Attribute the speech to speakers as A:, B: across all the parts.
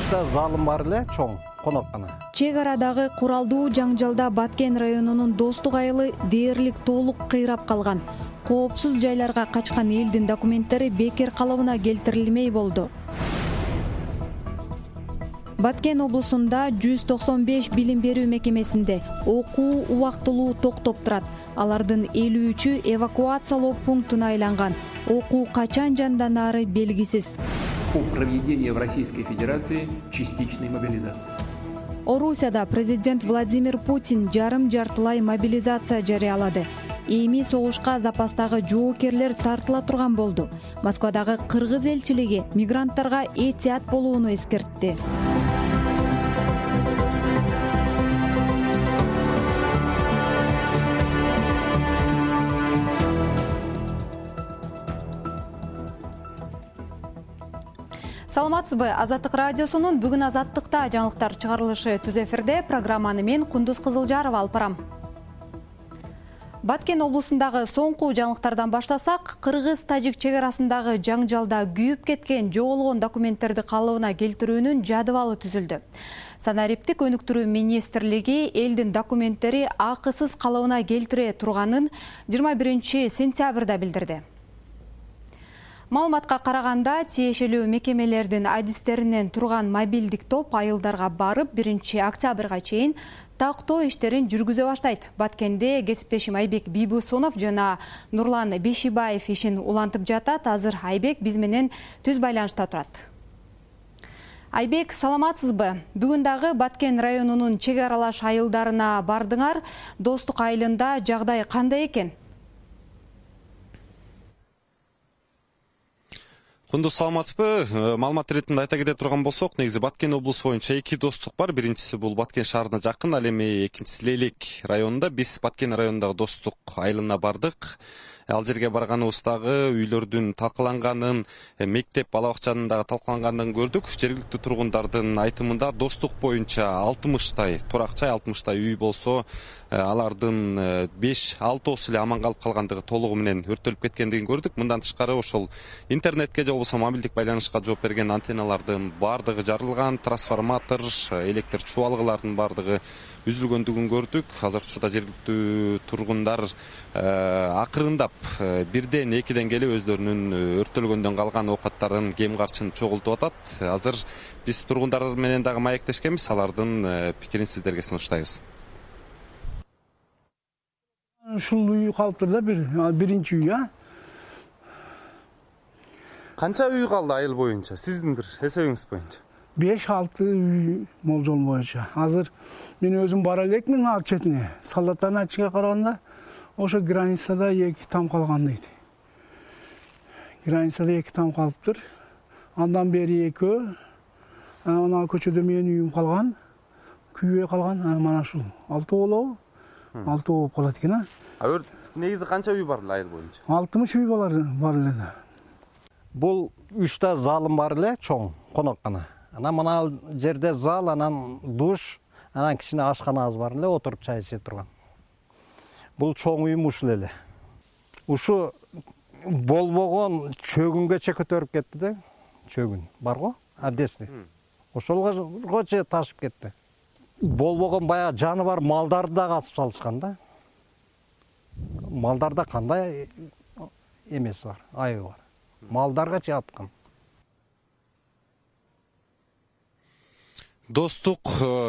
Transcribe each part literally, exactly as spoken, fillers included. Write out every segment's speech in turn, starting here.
A: учта залым бар эле, чоң коноккана.
B: Чек арадагы куралдуу жаңжалда Баткен районунун Достук айылы дээрлик толук кыйрап калган. Коопсуз жайларга качкан элдин документтери бекер калыбына келтирилмей болду. Баткен облусунда жүз токсон беш билим берүү мекемесинде окуу убактылуу токтоп турат. Алардын элүү үчү эвакуациялоо пунктуна айланган. Окуу качан жанданаары белгисиз.
C: Проведение в Российской Федерации частичной мобилизации.
B: Орусияда президент Владимир Путин жарым-жартылай мобилизация жарыялады. Эми согушка запастагы жоокерлер тартыла турган болду. Москвадагы кыргыз элчилиги мигранттарга этият болууну эскертти. Саламатсызбы? Азаттык радиосунун бүгүн Азаттыкта жаңылыктар чыгарылышы түз эфирде. Программаны мен Кундуз Кызылжарова алып барам. Баткен облусундагы соңку жаңылыктардан баштасак, кыргыз-тажик чек арасындагы жаңжалда күйүп кеткен жоголгон документтерди калыбына келтирүүнүн жадыбалы түзүлдү. Санариптик өнүктүрүү министрлиги элдин документтери акысыз калыбына келтире турганын жыйырма биринчи сентябрда билдирди. Маалыматка караганда, тиешелүү мекемелердин адистеринен турган мобилдик топ айылдарга барып, биринчи октябрга чейин тактоо иштерин жүргүзө баштайт. Баткенде кесиптешим Айбек Бийбусунов жана Нурлан Бешибаев ишин улантып жатат. Азыр Айбек биз менен түз байланышта турат. Айбек, саламатсызбы? Бүгүн дагы Баткен районунун чек аралаш айылдарына бардыңар. Достук айылында жагдай кандай экен?
D: Кундуз, саламатсызбы? Маалымат иретинде айта кете турган болсок, негизи Баткен облусу боюнча эки достук бар. Биринчиси бул Баткен шаарына жакын, ал эми экинчиси Лейлек районунда. Биз Баткен районундагы достук айылына бардык. Ал жерге барганыбыздагы үйлөрдүн талкаланганын, мектеп, бала бакчанын дагы талкаланганын көрдүк. Жергиликтүү тургундардын айтымында достук боюнча алтымыштай туракчай, алтымыштай үй болсо, алардын беш алтоосу эле аман калып калгандыгы толугу менен өрттөлүп кеткендигин көрдүк. Мындан тышкары ошол интернетке же болбосо мобилдик байланышка жооп берген антенналардын баардыгы жарылган, трансформатор, электр чубалгылардын баардыгы үзүлгөндүгүн көрдүк. Азыркы учурда жергиликтүү тургундар акырындап бирден экиден келип өздөрүнүн өрттөлгөндөн калган оокаттарын, кем карчын чогултуп атат. Азыр биз тургундар менен дагы маектешкенбиз, алардын пикирин сиздерге сунуштайбыз.
E: Ушул үй калыптыр да, бир биринчи үй, а?
D: Канча үй калды айыл боюнча? Сиздин бир эсебиңиз боюнча?
E: беш алты үй болжол боюнча. Азыр мен өзүм бара элекмин ал четине. Солдаттардын айтышына караганда, ошо границада эки там калган дейт. Границада эки там калыптыр. Андан бери экөө, ана көчөдө менин үйүм калган, күйбөй калган, мана ушул алтоо болобу? алтоо болуп калат экен, а?
D: А негизи канча үй бар эле айыл боюнча?
E: алтымыш үй бар эле да.
A: Бул учта залым бар эле, чоң коноккана. Анан мына жерде зал, анан душ, анан кичине ашканабыз бар эле, отуруп чай иче турган. Бул чоң үйүм ушул эле. Ушу болбогон чөгүнгөчө көтөрүп кетти да. Чөгүн бар го, адеси. Ошолго же ташып кетти. Болбогон баягы жаны бар малдарды да касып салышкан да. Малдарда кандай эмеси бар, айыбы бар. Малдарга чаткан.
D: Достук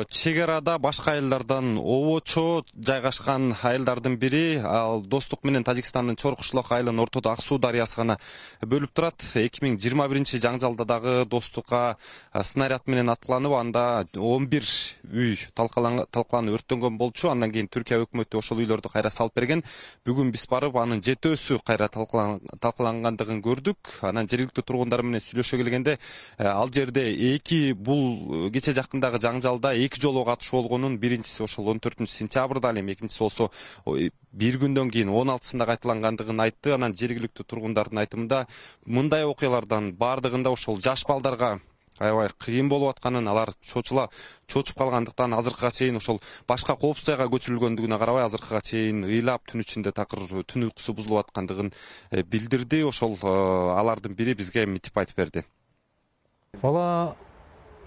D: чек арада башка айылдардан обочо жайгашкан айылдардын бири. Ал Достук менен Тажикстандын Чоркушлок айылынын ортодо Ак суу дарыясы гана бөлүп турат. эки миң жыйырма биринчи жаңжалда дагы Достукка снаряд менен аткыланып, анда он бир үй талкаланып өрттөнгөн болчу. Андан кийин Түркия өкмөтү ошол үйлөрдү кайра салып берген. Бүгүн биз барып, анын жетөөсү кайра талкалангандыгын көрдүк. Анан жергиликтүү тургундар менен сүйлөшө келгенде, ал жерде эки бул кече жакындагы жаңжалда эки жолу катышуу болгонун, биринчиси ошол он төртүнчү сентябрда, ал эми экинчиси болсо бир күндөн кийин он алтысында кайталангандыгын айтты. Анан жергиликтүү тургундардын айтымында мындай окуялардан баардыгында ошол жаш балдарга аябай кыйын болуп атканын, алар чочула чочуп калгандыктан азыркыга чейин ошол башка коопсуз жайга көчүрүлгөндүгүнө карабай, азыркыга чейин ыйлап түн ичинде такыр түн уйкусу бузулуп аткандыгын билдирди. Ошол алардын бири бизге митип айтып берди.
F: Бала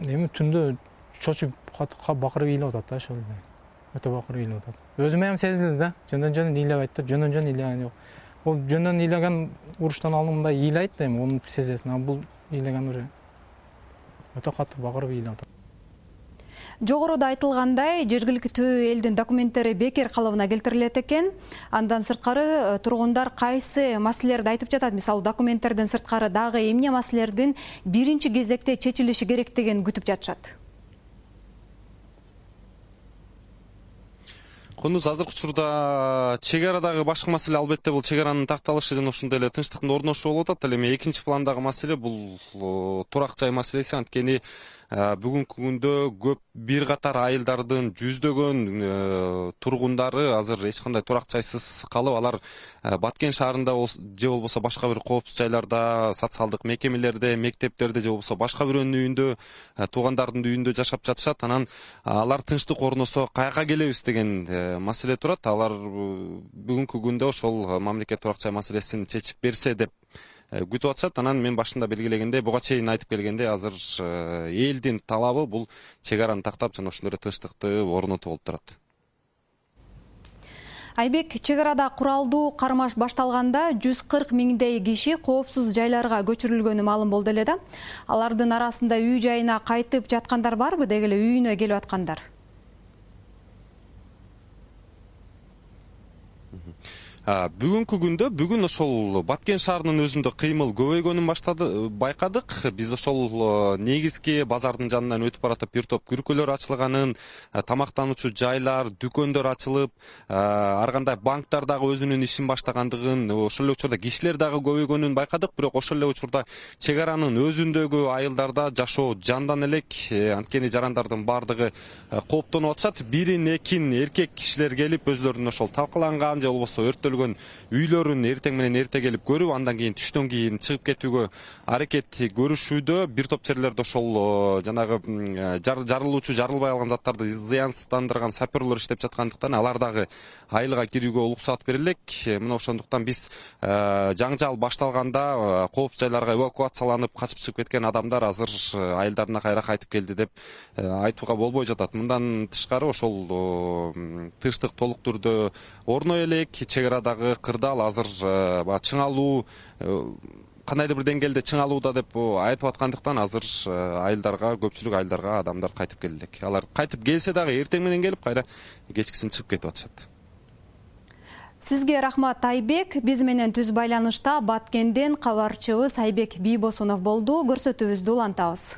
F: эми түндө чочуп бакырып ыйлап атат да, ошол эле. Өтө бакырып ыйлап атат. Өзүмө эми сезилди да, жөндөн жөн ыйлабайт да, жөндөн жөн ыйлаган жок. Ол жөндөн ыйлаган уруштан алдыңда ыйлайт да, эми onu сезесиң, а бул ыйлаган уже өтө катуу бакырып ыйлап атат.
B: Жогоруда айтылгандай, жергиликтүү элдин документтери бекер калыбына келтирилет экен. Андан сырткары тургундар кайсы маселелерди айтып жатат? Мисалы, документтерден сырткары дагы эмне маселелердин биринчи кезекте чечилиши керектигин күтүп жатышат?
D: Кундуз, азыркы учурда чек арадагы башкы маселе албетте бул чек аранын такталышы жана ошондой эле тынчтыктын орношуу болуп атат. Ал эми экинчи пландагы маселе бул турак жай маселеси. Анткени бүгүнкү күндө көп бир катар айылдардын жүздөгөн тургундары азыр эч кандай турак жайсыз калып, алар Баткен шаарында же болбосо башка бир коопсуз жайларда, социалдык мекемелерде, мектептерде же болбосо башка бирөөнүн үйүндө, туугандардын үйүндө жашап жатышат. Анан алар тынчтык орносо каяка келебиз деген маселе турат. Алар бүгүнкү күндө ошол мамлекет турак жай маселесин чечип берсе деп күтүп атышат. Анан мен башында белгилегендей, буга чейин айтып келгендей, азыр элдин талабы бул чек араны тактап жана ошол эле тынчтыкты орнотуу болуп турат.
B: Айбек, чек арада куралдуу кармаш башталганда жүз кырк миңдей киши коопсуз жайларга көчүрүлгөнү маалым болду эле да. Алардын арасында үй жайына кайтып жаткандар барбы, деги эле үйүнө келип аткандар?
D: Бүгүнкү күндө бүгүн ошол Баткен шаарынын өзүндө кыймыл көбөйгөнүн баштады байкадык. Биз ошол негизги базардын жанынан өтүп баратып бир топ күркөлөр ачылганын, тамактануучу жайлар, дүкөндөр ачылып, ар кандай банктар дагы өзүнүн ишин баштагандыгын, ошол эле учурда кишилер дагы көбөйгөнүн байкадык. Бирок ошол эле учурда чек аранын өзүндөгү айылдарда жашоо жандан элек. Анткени жарандардын баардыгы кооптонуп атышат. Бирин экин эркек кишилер келип өзлөрүнүн ошол талкаланган же болбосо өрттөлгөн үйлөрүн эртең менен эрте келип көрүп, андан кийин түштөн кийин чыгып кетүүгө аракет көрүшүүдө. Бир топ жерлерде ошол жанагы жарылуучу, жарылбай калган заттарды зыянсыздандырган саперлер иштеп жаткандыктан алар дагы айылга кирүүгө уруксат берилек. Мына ошондуктан биз жаңжал башталганда коопсуз жайларга эвакуацияланып качып чыгып кеткен адамдар азыр айылдарына кайра кайтып келди деп айтууга болбой жатат. Мындан тышкары ошол тынчтык толук түрдө орной элек. Чек арадагы кырдаал азыр чыңалуу, кандайдыр бир деңгээлде чыңалууда деп айтып аткандыктан азыр айылдарга, көпчүлүк айылдарга адамдар кайтып келдик. Алар кайтып келсе дагы эртең менен келип кайра кечкисин чыгып кетип атышат.
B: Сизге рахмат, Айбек. Биз менен түз байланышта Баткенден кабарчыбыз Айбек Бийбосунов болду. Көрсөтүүбүздү улантабыз.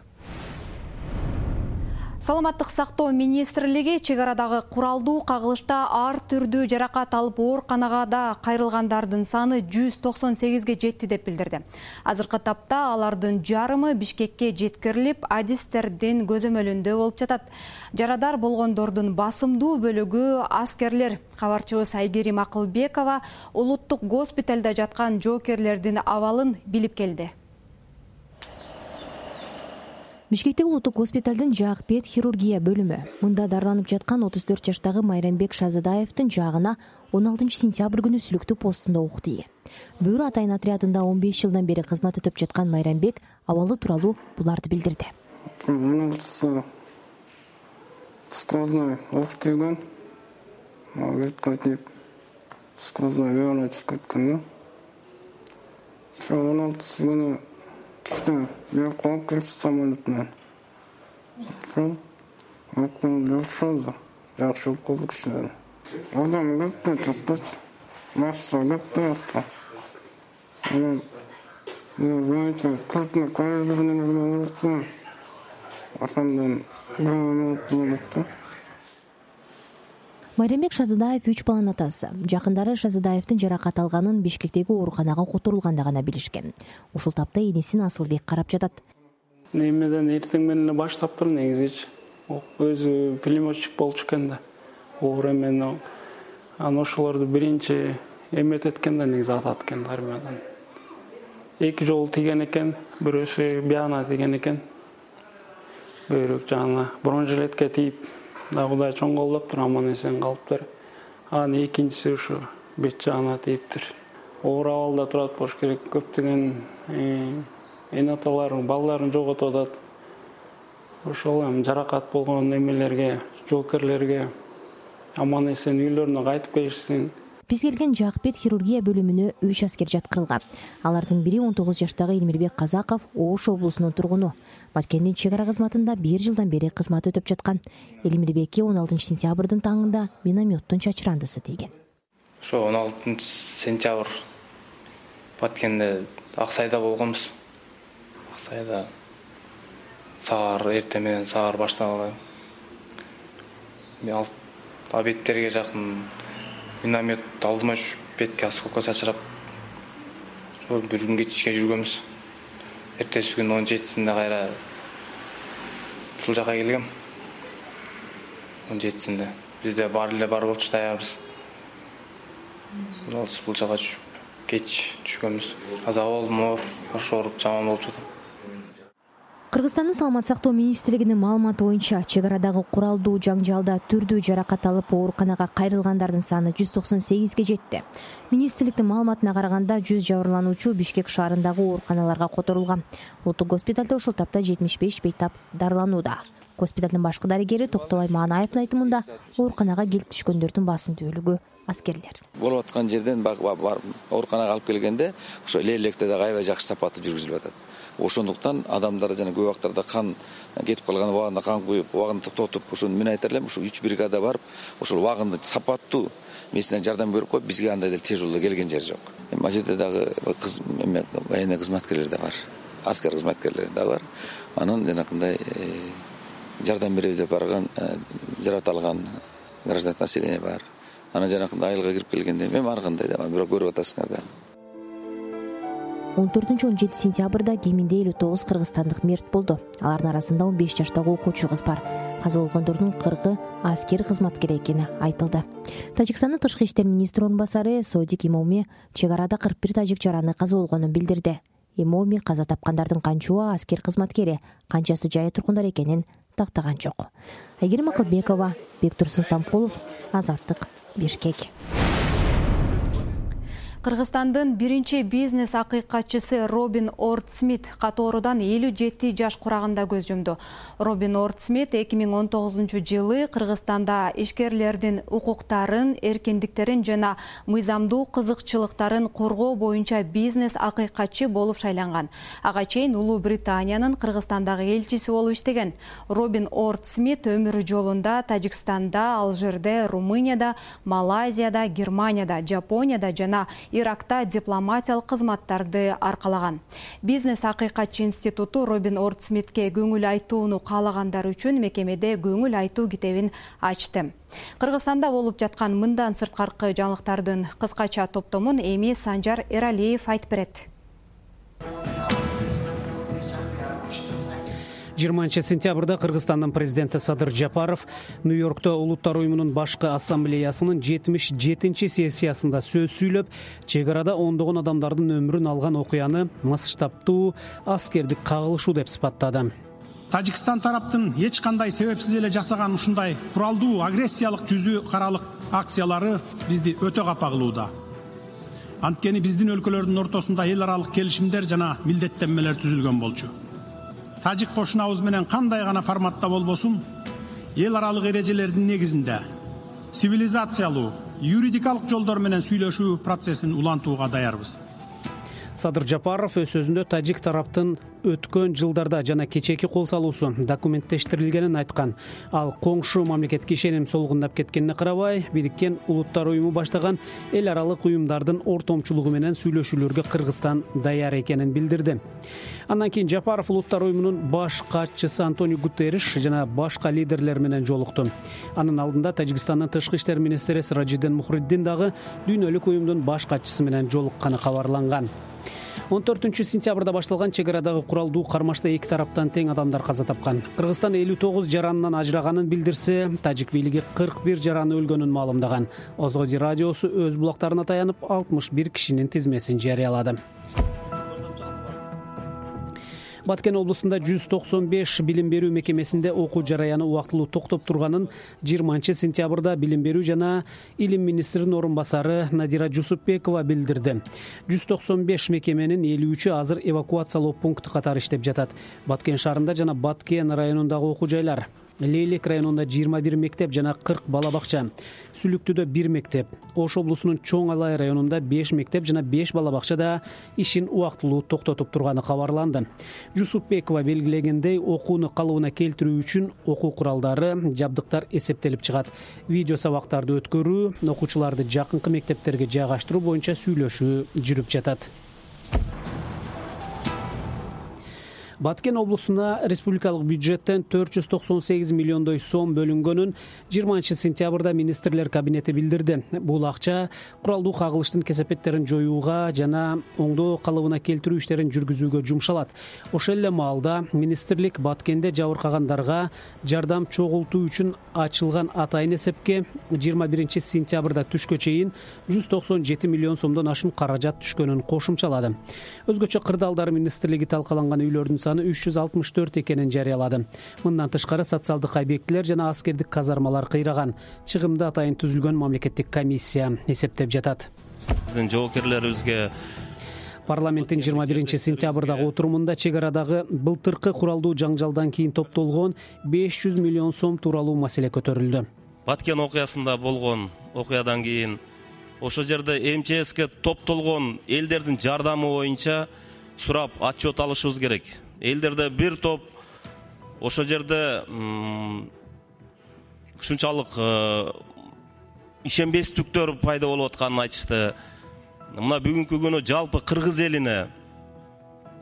B: Саламаттык сактоо министрлиги чек арадагы куралдуу кагылышта ар түрдүү жаракат алып ооруканага кайрылгандардын саны жүз токсон сегизге жетти деп билдирди. Азыркы тапта алардын жарымы Бишкекке жеткирилип, адистердин көзөмөлүндө болуп жатат. Жарадар болгондордун басымдуу бөлүгү аскерлер. Кабарчыбыз Айгерим Акылбекова улуттук госпиталда жаткан жоокерлердин абалын билип келди.
G: Бишкектеги улуттук госпиталдын жаак бет хирургия бөлүмү. Мында дарыланып жаткан отуз төрт жаштагы Майрамбек Шазыдаевдин жаагына он алтынчы сентябрь күнү сүлүктүү постунда ук тийген. Бөөрү атайын отрядында он беш жылдан бери кызмат өтөп жаткан Майрамбек абалы тууралуу буларды билдирди.
H: Сквозной оқ тиген, ветка тип, сквозной вены чыкып кеткен. он алтысы күнү түштө бир коп кирип самолетмен. Сол өкмөн жашады. Жакшы болду кишилер. Адам кетти, токточ. Масса кетти акта. Анан мен кыртны көрүлгөнүн үстүн. Асандан
G: Майрамбек Шазыдаев үч баланын атасы. Жакындары Шазыдаевдин жаракат алганын Бишкектеги ооруканага которулганда гана билишкен. Ушул тапта энесин Асылбек карап жатат.
I: Немеден эртең менен баштаптыр негизи. Өзү пулеметчик болчу экен да. Оор эмен аны ошолорду биринчи эмет эткен да, негизи атат экен армиядан. Эки жолу тийген экен, бирөөсү бияна тийген экен. Бөйрөк жагына бронежилетке тийип, да Кудай чоң колдоптур, аман эсен калыптыр. Анан экинчиси ушу бет жагына тийиптир. Оор абалда турат болуш керек. Көптөгөн эне аталар балдарын жоготуп атат. ошол эми жаракат болгон эмелерге, жоокерлерге аман эсен үйлөрүнө кайтып келишсин.
G: Биз келген Жакпет хирургия бөлүмүнө үч аскер жаткырылган. Алардын бири он тогуз жаштагы Элмирбек Казаков, Ош облусунун тургуну. Баткендин чек ара кызматында бир жылдан бери кызмат өтөп жаткан. Элмирбекке он алтынчы сентябрдын таңында минометтун чачырандысы тийген.
J: Ошо он алтынчы сентябрь Баткенде Аксайда болгонбуз. Аксайда саар эртең менен саар башталды. Мен абеттерге жакын миномет алдыма түшүп, бетке осколко чачырап, ошо бир күн кечке жүргөнбүз. Эртеси күн он жетисинде кайра ушул жака келгем. он жетисинде бизде бар эле бар болчу, даярбыз. Бул жака түшүп, кеч түшкөнбүз. Каза болдум, оор, баш ооруп, жаман болуп жатам.
G: Кыргызстандын Саламат сактоо министрлигинин маалыматы боюнча, чек арадагы куралдуу жаңжалда түрдүү жаракат алып ооруканага кайрылгандардын саны жүз токсон сегизге жетти. Министрликтин маалыматына караганда жүз жабырлануучу Бишкек шаарындагы ооруканаларга которулган. Улуттук госпиталда ушул тапта жетимиш беш бейтап дарыланууда. Госпиталдын башкы дарыгери Токтобай Маанаевдин айтымында, ооруканага келип түшкөндөрдүн басымдүүлүгү аскерлер.
K: Болуп аткан жерден барып ооруканага алып келгенде, ошо эле-электе да аябай жакшы сапаттуу жүргүзүлүп атат. Ошондуктан адамдар жана көп убактарда кан кетип калган, убагында кан куюп, убагында токтотуп, ошону мен айтар элем, ушул үч бригада барып, ошол убагында сапаттуу медицина жардам берип коюп, бизге андай деле тез жолдо келген жер жок. Эми ал жерде дагы кыз военный кызматкерлер да бар, аскер кызматкерлери да бар. Анын жанакындай жардам беребиз деп барган, жарата алган гражданский население бар. Анан жанакындай айылга кирип келгенде мен ар кандай да, бирок көрүп атасыңар да.
G: он төртүнчү он жетинчи сентябрда кеминде элүү тогуз кыргызстандык мерт болду. Алардын арасында он беш жаштагы окуучу кыз бар. Каза болгондордун кыркы аскер кызматкер экени айтылды. Тажикстандын тышкы иштер министри орун басары Содик Имоми чек арада кырк бир тажик жараны каза болгонун билдирди. Имоми каза тапкандардын канчоо аскер кызматкери, канчасы жайы тургундар экенин тактаган жок. Айгерим Акылбекова, Бектурсун Стамкулов, Азаттык, Бишкек.
B: Кыргызстандын биринчи бизнес акыйкатчысы Робин Орд Смит катоорудан элүү жети жаш курагында көз жумду. Робин Орд Смит эки миң он тогузунчу жылы Кыргызстанда ишкерлердин укуктарын, эркиндиктерин жана мыйзамдуу кызыкчылыктарын коргоо боюнча бизнес акыйкатчы болуп шайланган. Ага чейин Улуу Британиянын Кыргызстандагы элчиси болуп иштеген. Робин Орд Смит өмүр жолунда Тажикстанда, Алжирде, Румынияда, Малайзияда, Германияда, Жапонияда жана Иракта дипломатиялык кызматтарды аркалаган. Бизнес акыйкатчы институту Робин Орд Смитке көңүл айтууну каалагандар үчүн мекемеде көңүл айтуу китебин ачты. Кыргызстанда болуп жаткан мындан сырткаркы жаңылыктардын кыскача топтомун эми Санжар Эралиев айтып берет.
L: жыйырманчы сентябрда Кыргызстандын президенти Садыр Жапаров Нью-Йоркто Улуттар уюмунун башкы ассамблеясынын жетимиш жетинчи сессиясында сөз сүйлөп, чек арада ондогон адамдардын өмүрүн алган окуяны масштабтуу аскердик кагылышуу деп сыпаттады.
M: Тажикстан тараптын эч кандай себепсиз эле жасаган ушундай куралдуу агрессиялык жүзү каралык акциялары бизди өтө капа кылууда. Анткени биздин өлкөлөрдүн ортосунда эл аралык келишимдер жана милдеттенмелер түзүлгөн болчу. Тажик кошунабыз менен кандай гана форматта болбосун, эл аралык эрежелердин негизинде цивилизациялуу, юридикалык жолдор менен сүйлөшүү процессин улантууга даярбыз.
L: Садыр Жапаров өз сөзүндө тажик тараптын өткөн жылдарда жана кечээки кол салуусу документтештирилгенин айткан. Ал коңшу мамлекетке ишеним солгундап кеткенине карабай, Бириккен Улуттар уюму баштаган эл аралык уюмдардын ортомчулугу менен сүйлөшүүлөргө Кыргызстан даяр экенин билдирди. Андан кийин Жапаров Улуттар уюмунун баш катчысы Антонио Гутерриш жана башка лидерлер менен жолукту. Анын алдында Тажикстандын тышкы иштер министри Сиражиддин Мухриддин дагы дүйнөлүк уюмдун баш катчысы менен жолукканы кабарланган. он төртүнчү сентябрда башталган чек арадагы куралдуу кармашта эки тараптан тең адамдар каза тапкан. Кыргызстан элүү тогуз жаранынан ажыраганын билдирсе, тажик бийлиги кырк бир жараны өлгөнүн маалымдаган. Озгоди радиосу өз булактарына таянып алтымыш бир кишинин тизмесин жарыялады. Баткен облусунда жүз токсон беш билим берүү мекемесинде окуу жараяны убактылуу токтоп турганын жыйырманчы сентябрда билим берүү жана илим министринин орун басары Надира Жусупбекова билдирди. жүз токсон беш мекеменин элүү үчү азыр эвакуациялоо пункту катары иштеп жатат. Баткен шаарында жана Баткен районундагы окуу жайлар. Лейлек районунда жыйырма бир мектеп жана кырк бала бакча. Сүлүктүдө бир мектеп. Ош облусунун Чоң Алай районунда беш мектеп жана беш бала бакчада ишин убактылуу токтотуп турганы кабарланды. Жусупбекова белгилегендей, окууну калыбына келтирүү үчүн окуу куралдары, жабдыктар эсептелип чыгат. Видео сабактарды өткөрүү, окуучуларды жакынкы мектептерге жайгаштыруу боюнча сүйлөшүү жүрүп жатат. Баткен облусуна республикалык бюджеттен төрт жүз токсон сегиз миллиондой сом бөлүнгөнүн жыйырманчы сентябрда министрлер кабинети билдирди. Бул акча куралдуу кагылыштын кесепеттерин жоюуга жана оңдоо калыбына келтирүү иштерин жүргүзүүгө жумшалат. Ошол эле маалда министрлик Баткенде жабыркагандарга жардам чогултуу үчүн ачылган атайын эсепке жыйырма биринчи сентябрда түшкө чейин жүз токсон жети миллион сомдон ашуун каражат түшкөнүн кошумчалады. Өзгөчө кырдаалдар министрлиги талкаланган үйлөрдүн үч жүз алтымыш төрт экенин жарыялады. Мындан тышкары социалдык объектилер жана аскердик казармалар кыйраган. Чыгымды атайын түзүлгөн мамлекеттик комиссия эсептеп жатат.
N: Биздин жоокерлерибизге
L: Парламенттин жыйырма биринчи сентябрдагы отурумунда чек арадагы былтыркы куралдуу жаңжалдан кийин топтолгон беш жүз миллион сом тууралуу маселе көтөрүлдү.
N: Баткен окуясында болгон окуядан кийин ошол жерде эм че эске топтолгон элдердин жардамы боюнча сурап отчет алышыбыз керек. Элдерде бир топ ошол жерде ушунчалык ишенбестиктер пайда болуп атканын айтышты. Мына бүгүнкү күнү жалпы кыргыз элине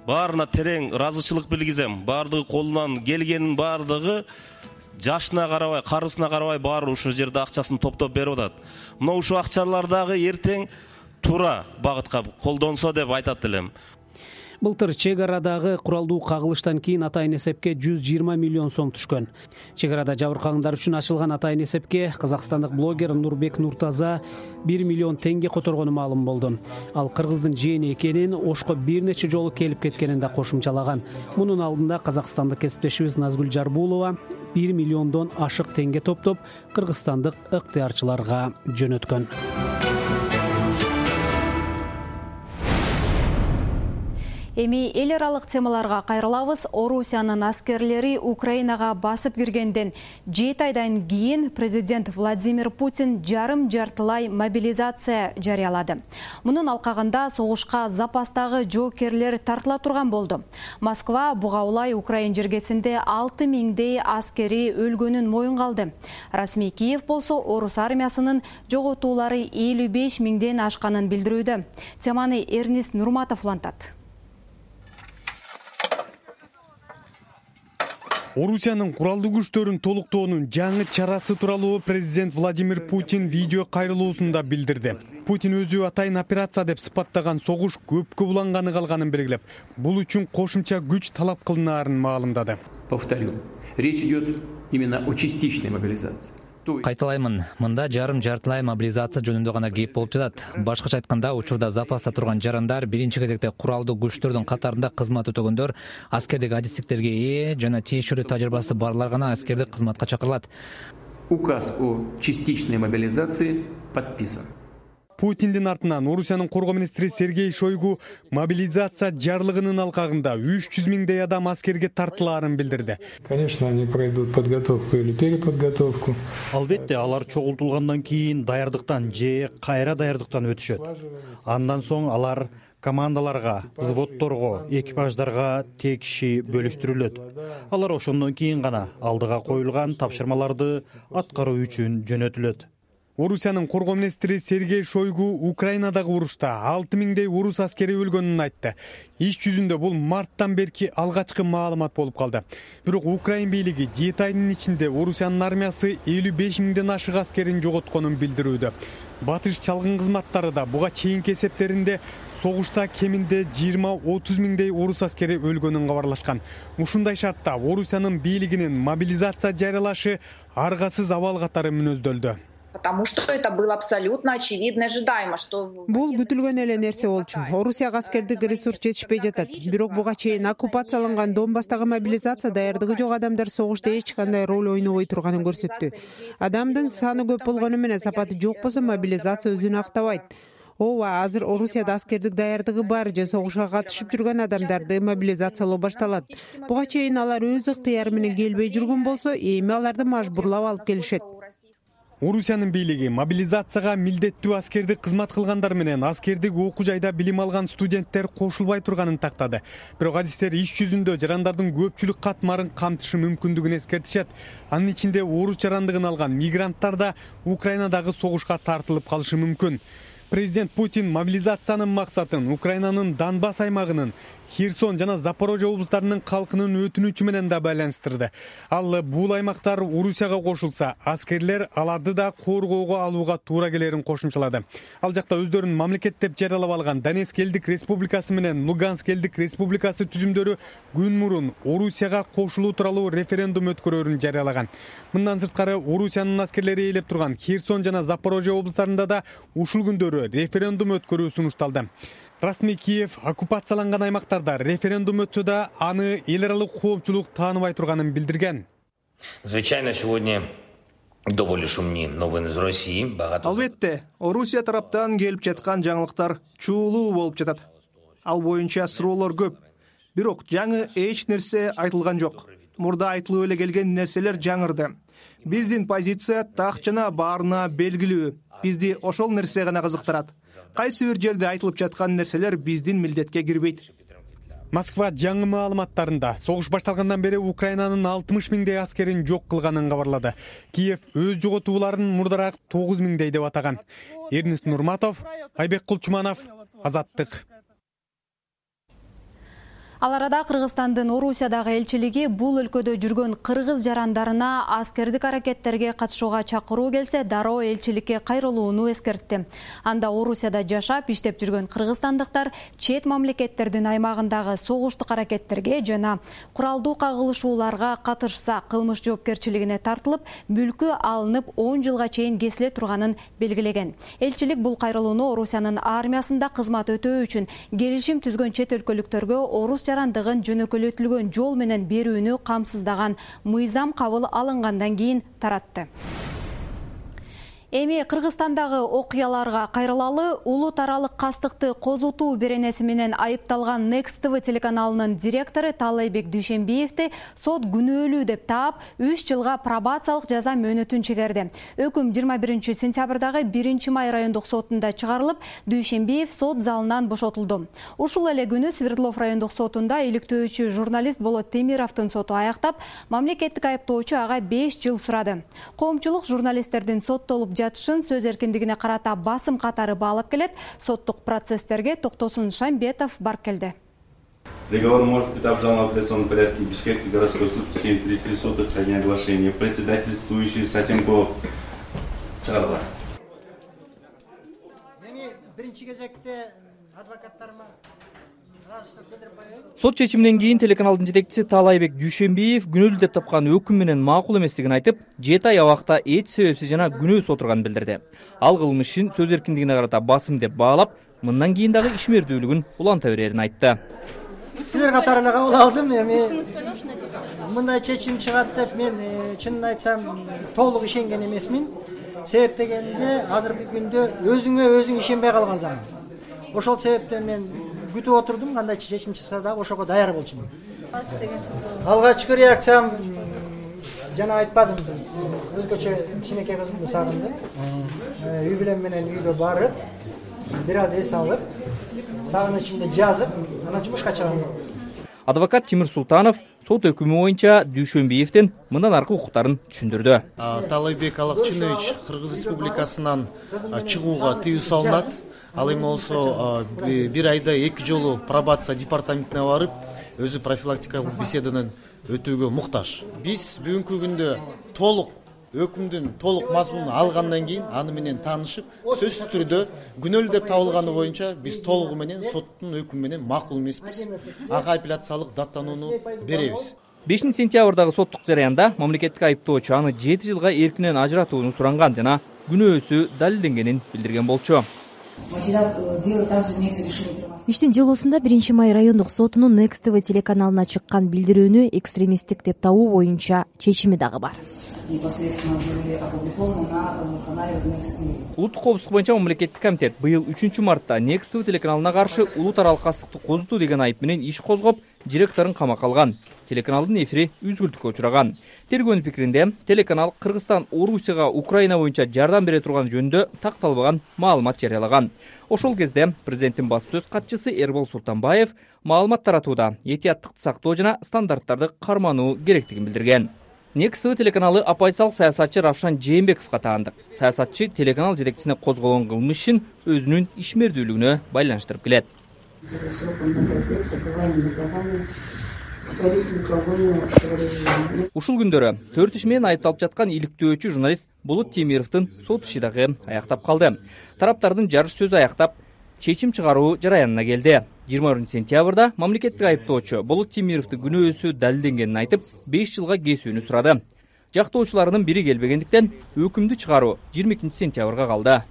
N: баарына терең ыраазычылык билгизем. Баардыгы колунан келгенин баардыгы жашына карабай, карысына карабай баары ушул жерде акчасын топтоп берип атат. Мына ушул акчалар дагы эртең туура багытка колдонсо деп айтат элем.
L: Былтыр чек арадагы куралдуу кагылыштан кийин атайын эсепке жүз жыйырма миллион сом түшкөн. Чек арада жабыркагандар үчүн ачылган атайын эсепке казакстандык блогер Нурбек Нуртаза бир миллион теңге которгону маалым болду. Ал кыргыздын жээни экенин, Ошко бир нече жолу келип кеткенин да кошумчалаган. Мунун алдында казакстандык кесиптешибиз Назгүл Жарбулова бир миллиондон ашык теңге топтоп кыргызстандык ыктыярчыларга жөнөткөн.
B: Эми эл аралык темаларга кайрылабыз. Орусиянын аскерлери Украинага басып киргенден жети айдан кийин президент Владимир Путин жарым жартылай мобилизация жарыялады. Мунун алкагында согушка запастагы жоокерлер тартыла турган болду. Москва буга улай Украин жергесинде алты миңдей аскери өлгөнүн моюнга алды. Расмий Киев болсо орус армиясынын жоготуулары элүү беш миңден ашканын билдирүүдө. Теманы Эрнис Нурматов улантат.
O: Орусиянын куралдуу күчтөрүн толуктоонун жаңы чарасы тууралуу президент Владимир Путин видео кайрылуусунда билдирди. Путин өзү атайын операция деп сыпаттаган согуш көпкө буланганы калганын белгилеп, бул үчүн кошумча күч талап кылынаарын маалымдады.
C: Повторю, речь идет именно о частичной мобилизации.
P: Кайталаймын, мында жарым жартылай мобилизация жөнүндө гана кеп болуп жатат. Башкача айтканда, учурда запаста турган жарандар биринчи кезекте куралдуу күчтөрдүн катарында кызмат өтөгөндөр, аскердик адистиктерге ээ жана тиешелүү тажрыйбасы барлар гана аскердик кызматка чакырылат.
C: Указ о частичной мобилизации подписан.
O: Путиндин артынан Орусиянын коргоо министри Сергей Шойгу мобилизация жарлыгынын алкагында үч жүз миңдей адам аскерге тартылаарын билдирди.
Q: Конечно, они пройдут подготовку или переподготовку.
R: Албетте, алар чогултулгандан кийин даярдыктан же кайра даярдыктан өтүшөт. Андан соң алар командаларга, взводторго, экипаждарга текши бөлүштүрүлөт. Алар ошондон кийин гана алдыга коюлган тапшырмаларды аткаруу үчүн жөнөтүлөт.
O: Орусиянын коргоо министри Сергей Шойгу Украинадагы урушта алты миңдей орус аскери өлгөнүн айтты. Иш жүзүндө бул марттан берки алгачкы маалымат болуп калды. Бирок Украин бийлиги жети айдын ичинде Орусиянын армиясы элүү беш миңден ашык аскерин жоготконун билдирүүдө. Батыш чалгын кызматтары да буга чейинки эсептеринде согушта кеминде жыйырма отуз миңдей орус аскери өлгөнүн кабарлашкан. Ушундай шартта Орусиянын бийлигинин мобилизация жарыялашы аргасыз абал катары мүнөздөлдү.
S: Потому что это было абсолютно очевидно ожидаемо, что
T: бул күтүлгөн эле нерсе болчу. Орусияга аскердик ресурс жетишпей жатат. Бирок буга чейин оккупацияланган Донбасстагы мобилизация даярдыгы жок адамдар согушта эч кандай роль ойнобой турганын көрсөттү. Адамдын саны көп болгону менен сапаты жок болсо мобилизация өзүн актабайт. Ооба, азыр Орусияда аскердик даярдыгы бар же согушка катышып жүргөн адамдарды мобилизациялоо башталат. Буга чейин алар өз ыктыяры менен келбей жүргөн болсо, эми аларды мажбурлап алып келишет.
O: Орусиянын бийлиги мобилизацияга милдеттүү аскердик кызмат кылгандар менен аскердик окуу жайда билим алган студенттер кошулбай турганын тактады. Бирок адистер иш жүзүндө жарандардын көпчүлүк катмарын камтышы мүмкүндүгүн эскертишет. Анын ичинде орус жарандыгын алган мигранттар да Украинадагы согушка тартылып калышы мүмкүн. Президент Путин мобилизациянын максатын Украинанын Донбасс аймагынын, Херсон жана Запорожье облустарынын калкынын өтүнүчү менен да байланыштырды. Ал бул аймактар Орусияга кошулса, аскерлер аларды да коргоого алууга туура келерин кошумчалады. Ал жакта өздөрүн мамлекет деп жарыялап алган Донецк элдик республикасы менен Луганск элдик республикасы түзүмдөрү күн мурун Орусияга кошулуу тууралуу референдум өткөрөрүн жарыялаган. Мындан сырткары Орусиянын аскерлери ээлеп турган Херсон жана Запорожье облустарында да ушул күндөрү референдум өткөрүү сунушталды. Расмий Киев оккупацияланган аймактарда референдум өтсө да аны эл аралык коопчулук тааныбай турганын билдирген.
U: Звичайно, сегодня довольно шумные новины из России.
V: Албетте, Орусия тараптан келип жаткан жаңылыктар чуулуу болуп жатат. Ал боюнча суроолор көп. Бирок жаңы эч нерсе айтылган жок. Мурда айтылып эле келген нерселер жаңырды. Биздин позиция так жана баарына белгилүү. Бизди ошол нерсе гана кызыктырат. Кайсы бир жерде айтылып жаткан нерселер биздин милдетке кирбейт.
O: Москва жаңы маалыматтарында согуш башталгандан бери Украинанын алтымыш миңдей аскерин жок кылганын кабарлады. Киев өз жоготууларын мурдараак тогуз миңдей деп атаган. Эрнест Нурматов, Айбек Кулчуманов, Азаттык.
B: Ал арада Кыргызстандын Орусиядагы элчилиги бул өлкөдө жүргөн кыргыз жарандарына аскердик аракеттерге катышууга чакыруу келсе, дароо элчиликке кайрылууну эскертти. Анда Орусияда жашап, иштеп жүргөн кыргызстандыктар чет мамлекеттердин аймагындагы согуштук аракеттерге жана куралдуу кагылышууларга катышса, кылмыш жоопкерчилигине тартылып, мүлкү алынып он жылга чейин кесиле турганын белгилеген. Элчилик бул кайрылууну Орусиянын армиясында кызмат өтөө үчүн келишим түзгөн чет өлкөлүктөргө орус жарандыгын жөнөкөлөтүлгөн жол менен берүүнү камсыздаган мыйзам кабыл алынгандан кийин таратты. Эми Кыргызстандагы окуяларга кайрылалы. Улут аралык кастыкты козутуу беренеси менен айыпталган Next ти ви телеканалынын директору Таалайбек Дүйшенбиевди сот күнөөлүү деп таап, үч жылга пробациялык жаза мөөнөтүн чегерди. Өкүм жыйырма биринчи сентябрдагы биринчи май райондук сотунда чыгарылып, Дүйшенбиев сот залынан бошотулду. Ушул эле күнү Свердлов райондук сотунда иликтөөчү журналист Болот Темировдун соту аяктап, мамлекеттик айыптоочу ага беш жыл сурады. Коомчулук журналисттердин соттолуп жатышын сөз эркиндигине карата басым катары баалап келет. Соттук процесстерге Токтосун Шамбетов барып келди.
W: Договор может быть обжалован в апелляционном порядке. Бишкекский городской суд в течение тридцати суток со дня оглашения. Председательствующий Сатенков. Чыгарыла.
X: Сот чечиминен кийин телеканалдын жетекчиси Таалайбек Дүйшенбиев күнөөлүү деп тапкан өкүм менен макул эместигин айтып, жети ай абакта эч себепсиз жана күнөөсүз отурганын билдирди. Ал кылмышын сөз эркиндигине карата басым деп баалап, мындан кийин дагы ишмердүүлүгүн уланта берерин айтты.
Y: Силер катары эле кабыл алдым. Эми мындай чечим чыгат деп мен чынын айтсам толук ишенген эмесмин. Себеп дегенде азыркы күндө өзүңө өзүң ишенбей калган заман. Ошол себептен мен күтүп отурдум, кандай чечим чыкса да ошого даяр болчумун. Алгачкы реакциям жана айтпадым, өзгөчө кичинекей кызымды сагындым. Үй бүлөм менен үйгө барып, бир аз эс алып, сагынычымды жазып, анан жумушка чыгам.
X: Адвокат Тимир Султанов сот өкүмү боюнча Дүйшенбиевдин мындан аркы укуктарын түшүндүрдү.
Z: Таалайбек Алакчынович Кыргыз Республикасынан чыгууга тыюу салынат. Ал эми болсо бир айда эки жолу пробация департаментине барып, өзү профилактикалык беседанын өтүүгө муктаж. Биз бүгүнкү күндө толук өкүмдүн толук мазмунун алгандан кийин аны менен таанышып, сөзсүз түрдө күнөөлүү деп табылганы боюнча биз толугу менен соттун өкүмү менен макул эмеспиз. Ага апелляциялык даттанууну беребиз.
X: бешинчи сентябрдагы соттук жараянда мамлекеттик айыптоочу аны жети жылга эркинен ажыратууну суранган жана күнөөсү далилденгенин билдирген болчу.
G: иштин делосунда биринчи май райондук сотунун Next ти ви телеканалына чыккан билдирүүнү экстремисттик деп табуу боюнча чечими дагы бар.
X: Улуттук коопсуздук боюнча мамлекеттик комитет быйыл үчүнчү мартта Next ти ви телеканалына каршы улуу таралык кастыкты козутуу деген айып менен иш козгоп, директорун камакка алган. Телеканалдын эфири үзгүлтүккө учураган. Тергөөнүн пикиринде, телеканал Кыргызстан Орусияга Украина боюнча жардам бере турган жөнүндө такталбаган маалымат жарыялаган. Ошол кезде президенттин басып сөз катчысы Эрбол Султанбаев маалымат таратууда этияттыкты сактоо жана стандарттарды кармануу керектигин билдирген. Next ти ви телеканалы оппозициялык саясатчы Равшан Жээнбековго таандык. Саясатчы телеканал жетекчисине козголгон кылмыш ишин өзүнүн ишмердүүлүгүнө байланыштырып келет. Ушул күндөрү төрт иш менен айыпталып жаткан иликтөөчү журналист Болот Темировдун сот иши дагы аяктап калды. Тараптардын жарыш сөзү аяктап, чечим чыгаруу жараянына келди. жыйырма биринчи сентябрда мамлекеттик айыптоочу Болот Темировдун күнөөсү далилденгенин айтып, беш жылга кесүүнү сурады. Жактоочуларынын бири келбегендиктен өкүмдү чыгаруу жыйырма экинчи сентябрга калды.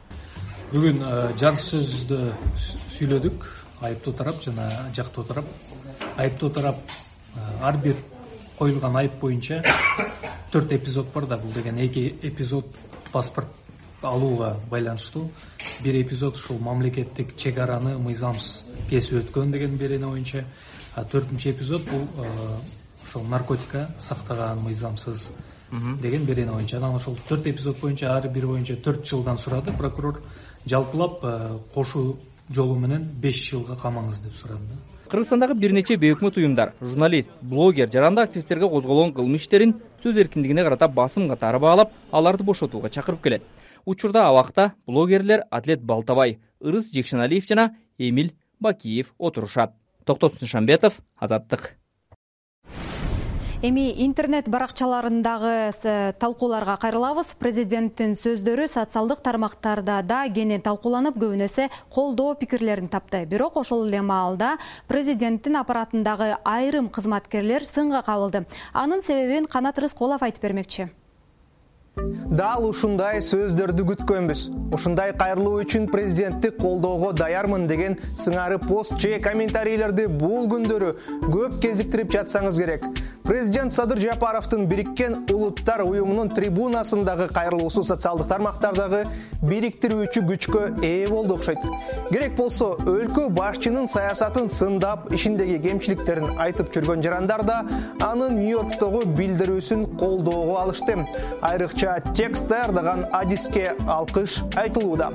A: Бүгүн жарыш сөздү сүйлөдүк, айыптоо тарап жана жактоо тарап. Айыптоо тарап ар бир коюлган айып боюнча төрт эпизод бар да, бул деген эки эпизод паспорт алууга байланыштуу. Бир эпизод ушул мамлекеттик чек араны мыйзамсыз кесип өткөн деген берене боюнча, а төртүнчү эпизод бул ошол наркотика сактаган мыйзамсыз деген берене боюнча. Анан ошол төрт эпизод боюнча ар бир боюнча төрт жылдан сурады. Прокурор жалпылап кошуу жолу менен беш жылга камаңыз деп сурады.
X: Кыргызстандагы бир нече бейөкмөт уюмдар, журналист, блогер, жарандык активисттерге козголгон кылмыш иштерин сөз эркиндигине карата басым катары баалап, аларды бошотууга чакырып келет. Учурда абакта блогерлер Атлет Балтабай, Ырыс Жекшеналиев жана Эмиль Бакиев отурушат. Токтосун Шамбетов, Азаттык.
B: Эми интернет баракчаларындагы талкууларга кайрылабыз. Президенттин сөздөрү социалдык тармактарда да кенен талкууланып, көбүнесе колдоо пикирлерин тапты. Бирок ошол эле маалда президенттин аппаратындагы айрым кызматкерлер сынга кабылды. Анын себебин Канат Рыскулов айтып бермекчи.
V: Дал ушундай сөздөрдү күткөнбүз. Ушундай кайрылуу үчүн президентти колдоого даярмын деген сыңары пост же комментарийлерди бул күндөрү көп кезиктирип жатсаңыз керек. Президент Садыр Жапаровдун Бириккен Улуттар уюмунун трибунасындагы кайрылуусу социалдык тармактардагы бириктирүүчү күчкө ээ болду окшойт. Керек болсо, өлкө башчынын саясатын сындап, ишиндеги кемчиликтерин айтып жүргөн жарандар да анын Нью-Йорктогу билдирүүсүн колдоого алышты. Айрыкча текст даярдаган адиске алкыш айтылууда.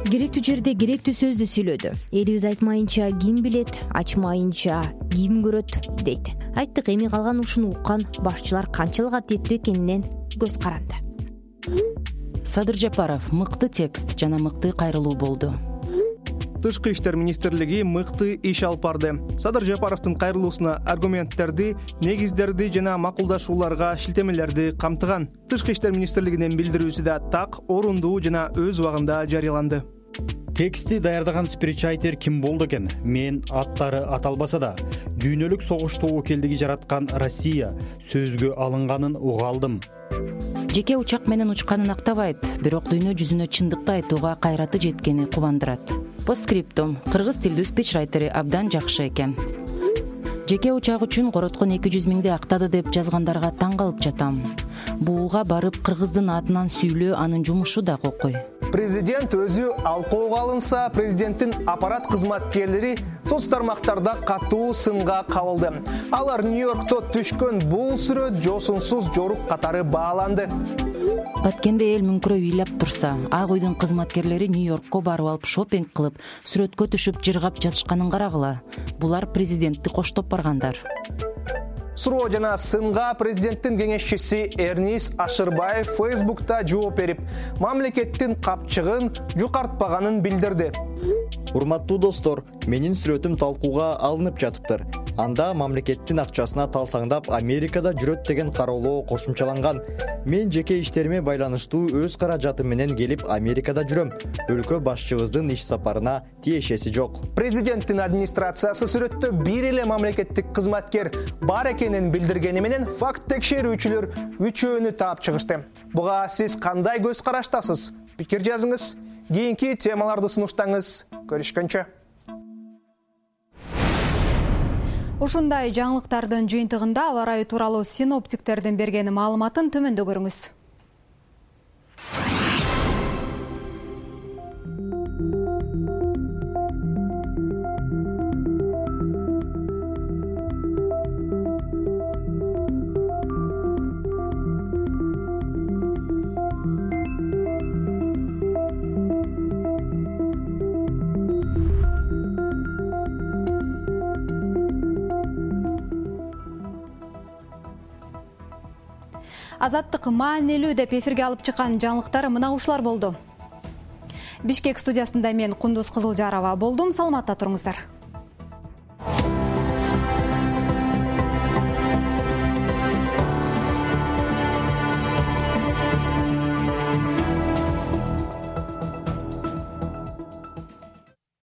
G: Керектүү жерде керектүү сөздү сүйлөдү. Элибиз айтмайынча ким билет, ачмайынча ким көрөт дейт. Айттык, эми калган ушуну уккан башчылар канчалык адилеттүү экенинен көз каранды.
D: Садыр Жапаров мыкты текст жана мыкты кайрылуу болду.
V: Тышкы иштер министрлиги мыкты иш алып барды. Садыр Жапаровдун кайрылуусуна аргументтерди, негиздерди жана макулдашууларга шилтемелерди камтыган. Тышкы иштер министрлигинин билдирүүсү да так, орундуу жана өз убагында жарыяланды.
R: Тексти даярдаган спичрайтер ким болду экен? Мен аттары аталбаса да, дүйнөлүк согуш тобокелдиги жараткан Россия сөзгө алынганын уга алдым.
D: Жеке учак менен учканын актабайт, бирок дүйнө жүзүнө чындыкты айтууга кайраты жеткени кубандырат. Постскриптум: кыргыз тилдүү спичрайтери абдан жакшы экен. Жеке учак үчүн короткон эки жүз миңди актады деп жазгандарга таң калып жатам. Бууга барып кыргыздын атынан сүйлөө анын жумушу да окуй.
V: Президент өзү алкоого алынса, президенттин аппарат кызматкерлери соц тармактарда катуу сынга кабылды. Алар Нью-Йоркто түшкөн бул сүрөт жосунсуз жорук катары бааланды.
D: Баткенде эл мүңкүрөп ыйлап турса, Ак үйдүн кызматкерлери Нью-Йоркко барып алып шопинг кылып, сүрөткө түшүп жыргап жатышканын карагыла. Булар президентти коштоп баргандар.
V: Суроо жана сынга президенттин кеңешчиси Эрнис Ашырбаев Фейсбукта жооп берип, мамлекеттин капчыгын жукартпаганын билдирди.
E: Урматтуу достор, менин сүрөтүм талкууга алынып жатыптыр. Анда мамлекеттин акчасына талтаңдап Америкада жүрөт деген кароолоо кошумчаланган. Мен жеке иштериме байланыштуу өз каражатым менен келип Америкада жүрөм. Өлкө башчыбыздын иш сапарына тиешеси жок.
F: Президенттин администрациясы сүрөттө бир эле мамлекеттик кызматкер бар экенин билдиргени менен факт текшерүүчүлөр үчөөнү таап чыгышты. Буга сиз кандай көз караштасыз? Пикир жазыңыз. Кийинки темаларды сунуштаңыз. Көрүшкөнчө.
B: Ушундай жаңылыктардын жыйынтыгында аба ырайы тууралуу синоптиктердин берген маалыматын төмөндө көрүңүз. Азаттык маанилүү деп эфирге алып чыккан жаңылыктар мына ушулар болду. Бишкек студиясында мен Кундуз Кызылжарова болдум. Саламатта туруңуздар.